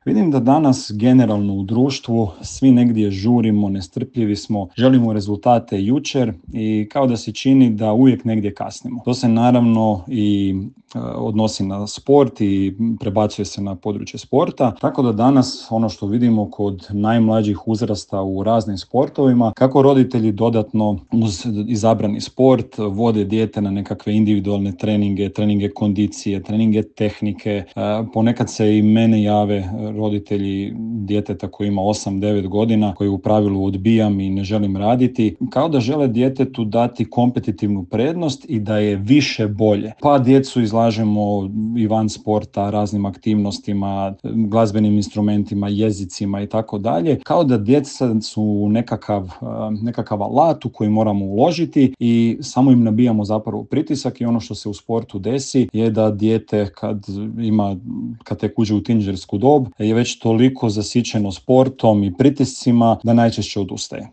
Vidim da danas generalno u društvu svi negdje žurimo, nestrpljivi smo, želimo rezultate jučer i kao da se čini da uvijek negdje kasnimo. To se naravno i odnosi na sport i prebacuje se na područje sporta, tako da danas ono što vidimo kod najmlađih uzrasta u raznim sportovima, kako roditelji dodatno uz izabrani sport vode dijete na nekakve individualne treninge kondicije, treninge tehnike. Ponekad se i mene jave roditelji djeteta koji ima 8-9 godina, koji u pravilu odbijam i ne želim raditi, kao da žele djetetu dati kompetitivnu prednost i da je više bolje. Pa djecu izlažemo i van sporta raznim aktivnostima, glazbenim instrumentima, jezicima i tako dalje, kao da djeca su nekakav alat u koji moramo uložiti i samo im nabijamo zapravo pritisak i ono što se u sportu desi je da dijete kad tek uđe u tinejdžersku dob je već toliko zasićeno sportom i pritiscima da najčešće odustaje.